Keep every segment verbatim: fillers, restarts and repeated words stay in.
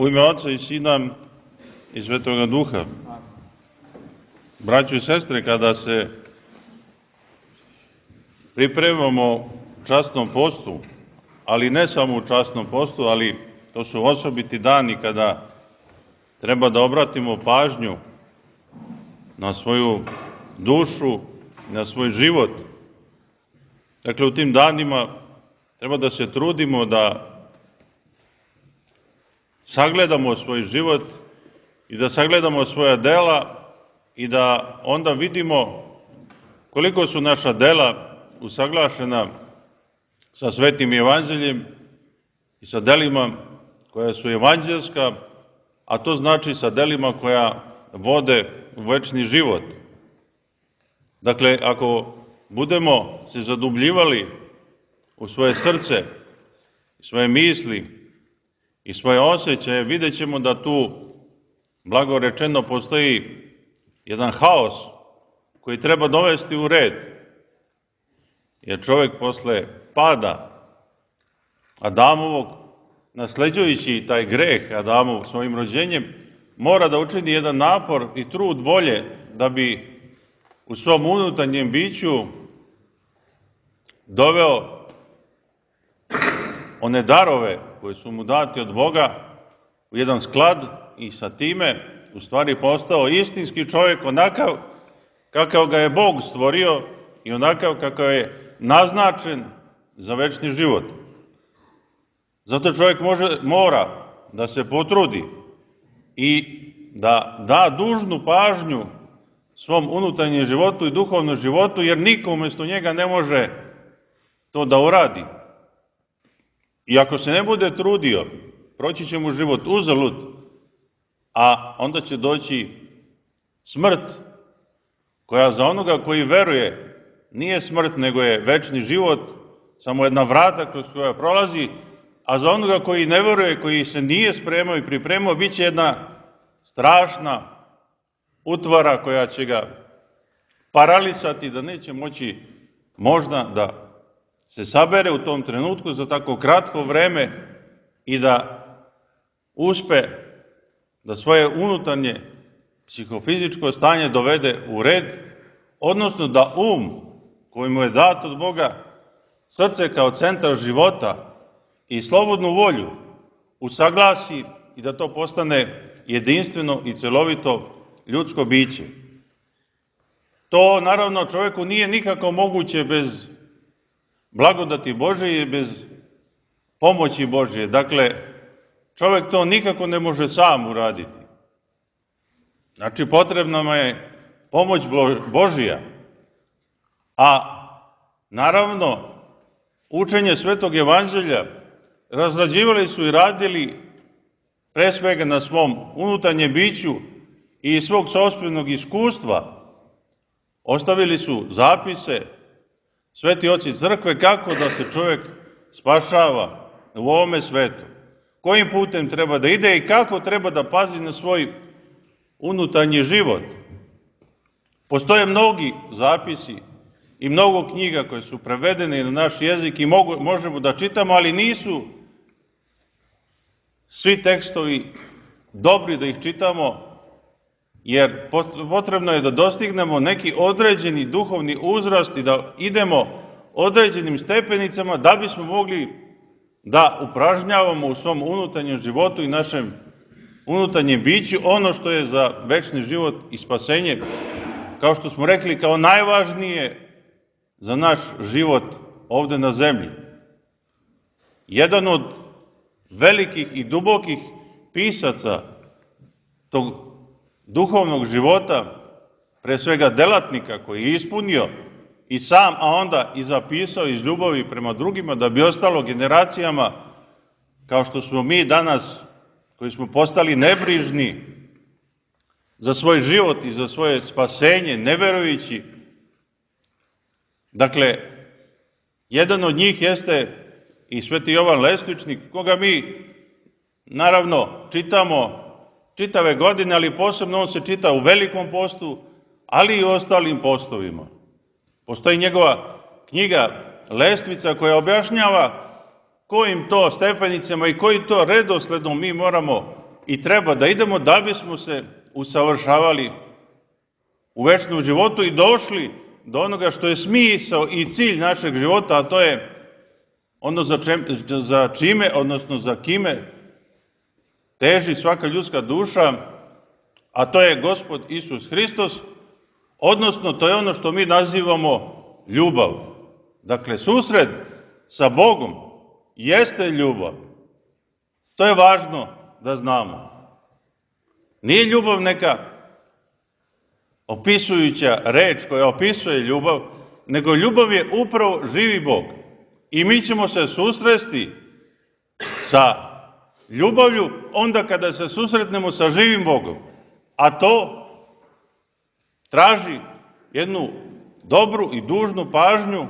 U ime Oca i Sina i Svetoga Duha. Braćo i sestre, kada se pripremamo časnom postu, ali ne samo u časnom postu, ali to su osobiti dani kada treba da obratimo pažnju na svoju dušu, na svoj život. Dakle, u tim danima treba da se trudimo da sagledamo svoj život i da sagledamo svoja dela i da onda vidimo koliko su naša dela usaglašena sa Svetim Evanđeljem i sa delima koja su evanđelska, a to znači sa delima koja vode u večni život. Dakle, ako budemo se zadubljivali u svoje srce, svoje misli i svoje osjećaje, vidjet ćemo da tu, blago rečeno, postoji jedan haos koji treba dovesti u red. Jer čovjek posle pada Adamovog, nasleđujući taj greh Adamov svojim rođenjem, mora da učini jedan napor i trud volje da bi u svom unutarnjem biću doveo one darove koje su mu dati od Boga u jedan sklad i sa time u stvari postao istinski čovjek, onakav kakav ga je Bog stvorio i onakav kakav je naznačen za večni život. Zato čovjek može, mora da se potrudi i da da dužnu pažnju svom unutarnjem životu i duhovnom životu, jer niko umjesto njega ne može to da uradi. I ako se ne bude trudio, proći će mu život uzalud, a onda će doći smrt, koja za onoga koji veruje nije smrt, nego je večni život, samo jedna vrata kroz koja prolazi, a za onoga koji ne veruje, koji se nije spremao i pripremao, bit će jedna strašna utvara koja će ga paralisati, da neće moći možda da se sabere u tom trenutku za tako kratko vreme i da uspe da svoje unutarnje psihofizičko stanje dovede u red, odnosno da um koji mu je dat od Boga, srce kao centar života i slobodnu volju usaglasi i da to postane jedinstveno i celovito ljudsko biće. To naravno čovjeku nije nikako moguće bez blagodati Božje i bez pomoći Božje. Dakle, čovjek to nikako ne može sam uraditi. Znači, potrebna mu je pomoć Božja. A naravno, učenje Svetog Evanđelja razrađivali su i radili pre svega na svom unutarnjem biću i iz svog sopstvenog iskustva. Ostavili su zapise sveti oci crkve kako da se čovjek spašava u ovome svetu, kojim putem treba da ide i kako treba da pazi na svoj unutarnji život. Postoje mnogi zapisi i mnogo knjiga koje su prevedene na naš jezik i mogu, možemo da čitamo, ali nisu svi tekstovi dobri da ih čitamo, jer potrebno je da dostignemo neki određeni duhovni uzrast i da idemo određenim stepenicama da bismo mogli da upražnjavamo u svom unutarnjem životu i našem unutarnjem biću ono što je za večni život i spasenje, kao što smo rekli, kao najvažnije za naš život ovde na zemlji. Jedan od velikih i dubokih pisaca tog duhovnog života, pre svega delatnika koji je ispunio i sam, a onda i zapisao iz ljubavi prema drugima, da bi ostalo generacijama, kao što smo mi danas, koji smo postali nebrižni za svoj život i za svoje spasenje, ne verujući. Dakle, jedan od njih jeste i sveti Jovan Lesničnik, koga mi, naravno, čitamo čitave godine, ali posebno on se čita u Velikom postu, ali i u ostalim postovima. Postoji njegova knjiga Lestvica koja objašnjava kojim to stepenicama i koji to redosledom mi moramo i treba da idemo da bismo se usavršavali u večnom životu i došli do onoga što je smisao i cilj našeg života, a to je ono za, čem, za čime, odnosno za kime teži svaka ljudska duša, a to je Gospod Isus Hristos, odnosno to je ono što mi nazivamo ljubav. Dakle, susret sa Bogom jeste ljubav. To je važno da znamo. Nije ljubav neka opisujuća reč koja opisuje ljubav, nego ljubav je upravo živi Bog. I mi ćemo se susresti sa ljubavlju onda kada se susretnemo sa živim Bogom. A to traži jednu dobru i dužnu pažnju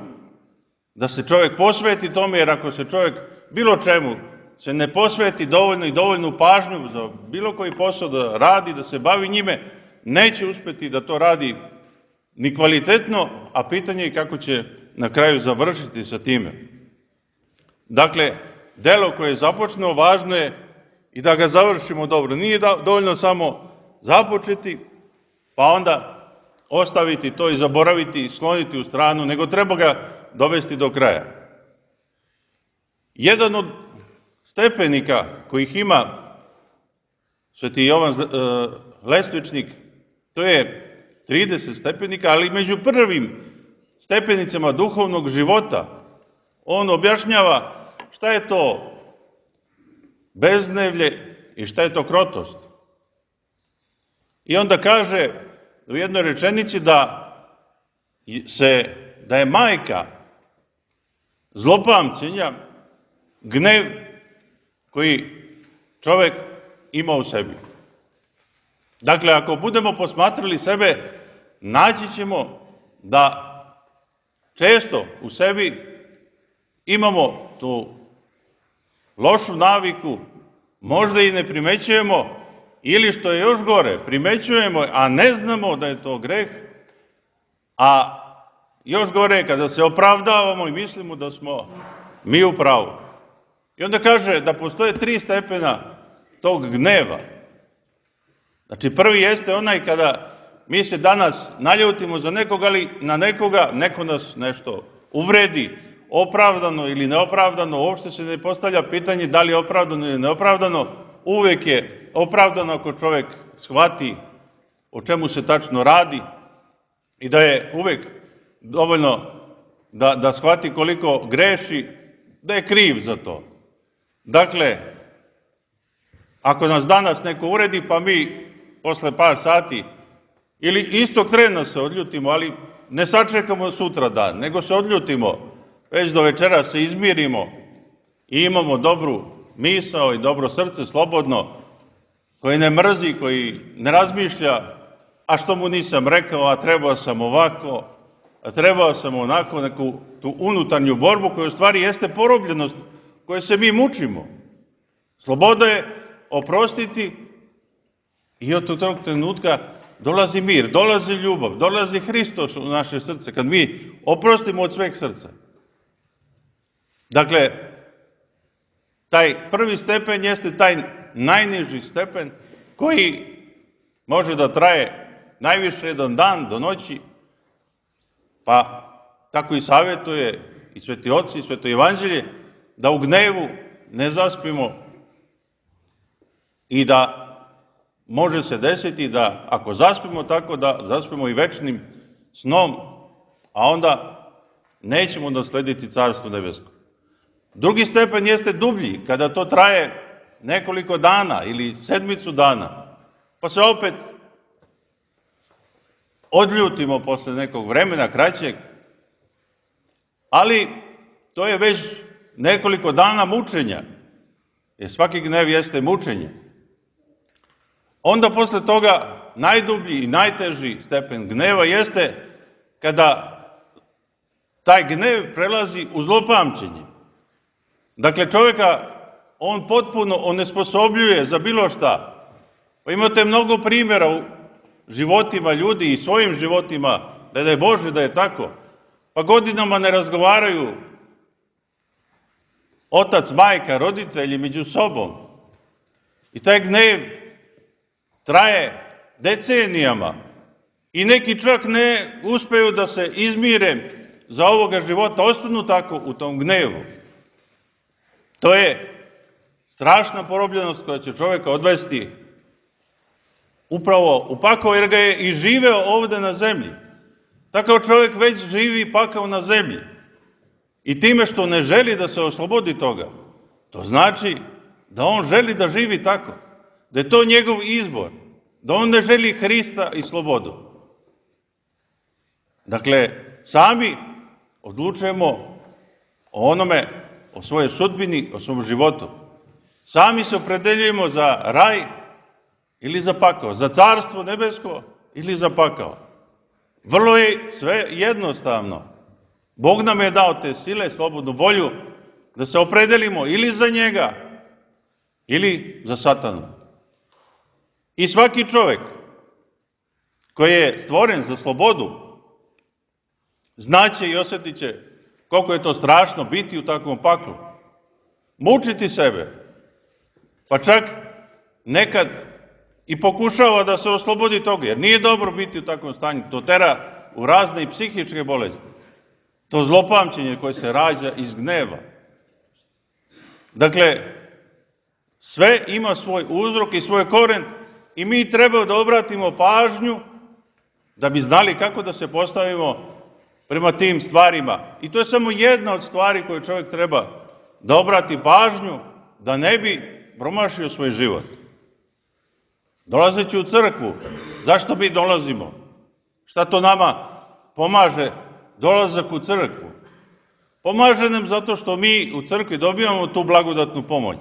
da se čovjek posveti tome, jer ako se čovjek bilo čemu se ne posveti dovoljno i dovoljnu pažnju za bilo koji posao da radi, da se bavi njime, neće uspjeti da to radi ni kvalitetno, a pitanje je kako će na kraju završiti sa time. Dakle, delo koje je započneo, važno je i da ga završimo dobro. Nije dovoljno samo započeti, pa onda ostaviti to i zaboraviti i skloniti u stranu, nego treba ga dovesti do kraja. Jedan od stepenika kojih ima Sveti Jovan Lestvičnik, to je trideset stepenika, ali među prvim stepenicama duhovnog života on objašnjava šta je to beznevlje i šta je to krotost. I onda kaže u jednoj rečenici da se da je majka zlopamćenja gnev koji čovjek ima u sebi. Dakle, ako budemo posmatrali sebe, naći ćemo da često u sebi imamo tu lošu naviku, možda i ne primećujemo, ili što je još gore, primećujemo, a ne znamo da je to greh, a još gore je kada se opravdavamo i mislimo da smo mi u pravu. I onda kaže da postoje tri stepena tog gneva. Znači, prvi jeste onaj kada mi se danas naljutimo za nekoga, ali na nekoga, neko nas nešto uvredi, opravdano ili neopravdano, uopšte se ne postavlja pitanje da li je opravdano ili neopravdano, uvek je opravdano ako čovjek shvati o čemu se tačno radi i da je uvek dovoljno da, da shvati koliko greši, da je kriv za to. Dakle, ako nas danas neko uredi, pa mi posle par sati ili istog trena se odljutimo, ali ne sačekamo sutra dan, nego se odljutimo, već do večera se izmirimo i imamo dobru misao i dobro srce, slobodno, koji ne mrzi, koji ne razmišlja, a što mu nisam rekao, a trebao sam ovako, a trebao sam onako, neku tu unutarnju borbu koja u stvari jeste porobljenost koje se mi mučimo. Sloboda je oprostiti i od tog trenutka dolazi mir, dolazi ljubav, dolazi Hristos u naše srce, kad mi oprostimo od sveg srca. Dakle, taj prvi stepen jeste taj najniži stepen koji može da traje najviše jedan dan do noći, pa tako i savjetuje i Sveti Oci i Sveto Evanđelje da u gnevu ne zaspimo i da može se desiti da ako zaspimo tako da zaspimo i večnim snom, a onda nećemo naslediti Carstvo nebesko. Drugi stepen jeste dublji, kada to traje nekoliko dana ili sedmicu dana, pa se opet odljutimo posle nekog vremena kraćeg, ali to je već nekoliko dana mučenja, jer svaki gnev jeste mučenje. Onda posle toga najdublji i najteži stepen gneva jeste kada taj gnev prelazi u zlopamćenje. Dakle, čovjeka on potpuno onesposobljuje za bilo šta. Pa imate mnogo primjera u životima ljudi i svojim životima, da je Bože da je tako. Pa godinama ne razgovaraju otac, majka, roditelji među sobom. I taj gnev traje decenijama i neki čak ne uspeju da se izmire za ovoga života, ostanu tako u tom gnevu. To je strašna porobljenost koja će čovjeka odvesti upravo u pakao, jer ga je i živeo ovde na zemlji. Takav čovjek već živi pakao na zemlji. I time što ne želi da se oslobodi toga, to znači da on želi da živi tako, da je to njegov izbor, da on ne želi Hrista i slobodu. Dakle, sami odlučujemo o onome, o svojoj sudbini, o svom životu. Sami se opredeljujemo za raj ili za pakao, za carstvo nebesko ili za pakao. Vrlo je sve jednostavno. Bog nam je dao te sile, slobodnu volju, da se opredelimo ili za njega, ili za satanu. I svaki čovjek koji je stvoren za slobodu, znaće i osjetit će koliko je to strašno biti u takvom paklu. Mučiti sebe, pa čak nekad i pokušava da se oslobodi toga, jer nije dobro biti u takvom stanju. To tera u razne i psihičke bolesti. To zlopamćenje koje se rađa iz gneva. Dakle, sve ima svoj uzrok i svoj koren i mi treba da obratimo pažnju da bi znali kako da se postavimo prema tim stvarima. I to je samo jedna od stvari koju čovjek treba da obrati pažnju, da ne bi promašio svoj život. Dolazeći u crkvu, zašto mi dolazimo? Šta to nama pomaže dolazak u crkvu? Pomaže nam zato što mi u crkvi dobijamo tu blagodatnu pomoć.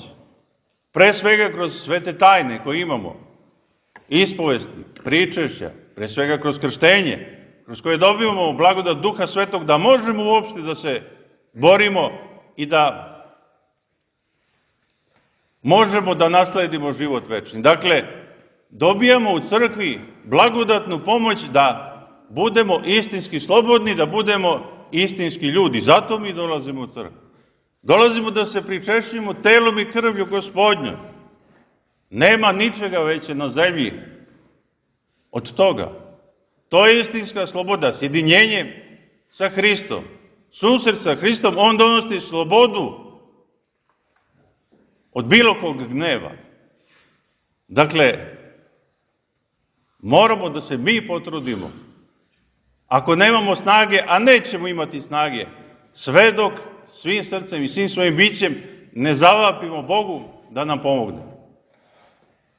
Pre svega kroz svete tajne koje imamo, ispovesti, pričešća, pre svega kroz krštenje, kroz koje dobivamo blagodat Duha Svetog, da možemo uopšte da se borimo i da možemo da nasledimo život večni. Dakle, dobijamo u crkvi blagodatnu pomoć da budemo istinski slobodni, da budemo istinski ljudi. Zato mi dolazimo u crkvu. Dolazimo da se pričešćujemo telom i krvlju Gospodnjom. Nema ničega veće na zemlji od toga. To je istinska sloboda, sjedinjenje sa Hristom. Susret sa Hristom, on donosi slobodu od bilo kog gneva. Dakle, moramo da se mi potrudimo. Ako nemamo snage, a nećemo imati snage, sve dok svim srcem i svim svojim bićem ne zavapimo Bogu da nam pomogne.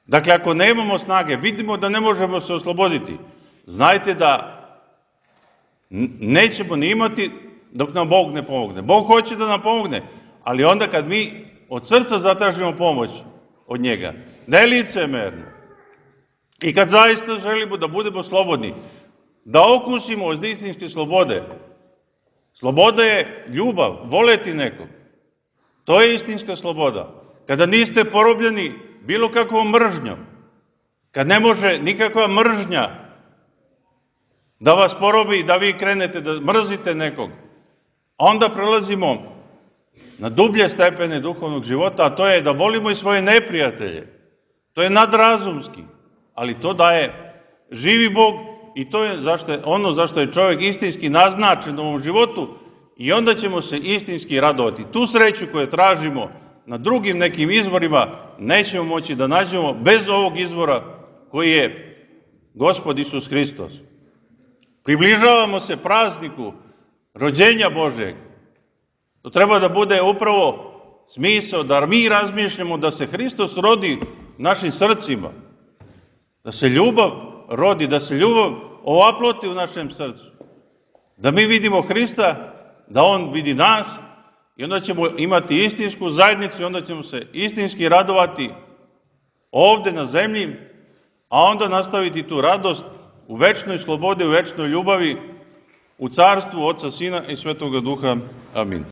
Dakle, ako nemamo snage, vidimo da ne možemo se osloboditi, znajte da nećemo ni imati dok nam Bog ne pomogne. Bog hoće da nam pomogne, ali onda kad mi od srca zatražimo pomoć od njega, ne licemerno, i kad zaista želimo da budemo slobodni, da okusimo od istinske slobode. Sloboda je ljubav, voleti nekog. To je istinska sloboda. Kada niste porobljeni bilo kakvom mržnjom, kad ne može nikakva mržnja da vas porobi i da vi krenete da mrzite nekog, onda prelazimo na dublje stepene duhovnog života, a to je da volimo i svoje neprijatelje. To je nadrazumski, ali to daje živi Bog i to je zašto je, ono zašto je čovjek istinski naznačen u ovom životu i onda ćemo se istinski radovati. Tu sreću koju tražimo na drugim nekim izvorima nećemo moći da nađemo bez ovog izvora koji je Gospod Isus Hristos. Približavamo se prazniku rođenja Božeg. To treba da bude upravo smisao da mi razmišljamo da se Hristos rodi našim srcima, da se ljubav rodi, da se ljubav ovaploti u našem srcu, da mi vidimo Hrista, da On vidi nas i onda ćemo imati istinsku zajednicu i onda ćemo se istinski radovati ovde na zemlji, a onda nastaviti tu radost u večnoj slobodi, u večnoj ljubavi, u carstvu Oca, Sina i Svetoga Duha. Amin.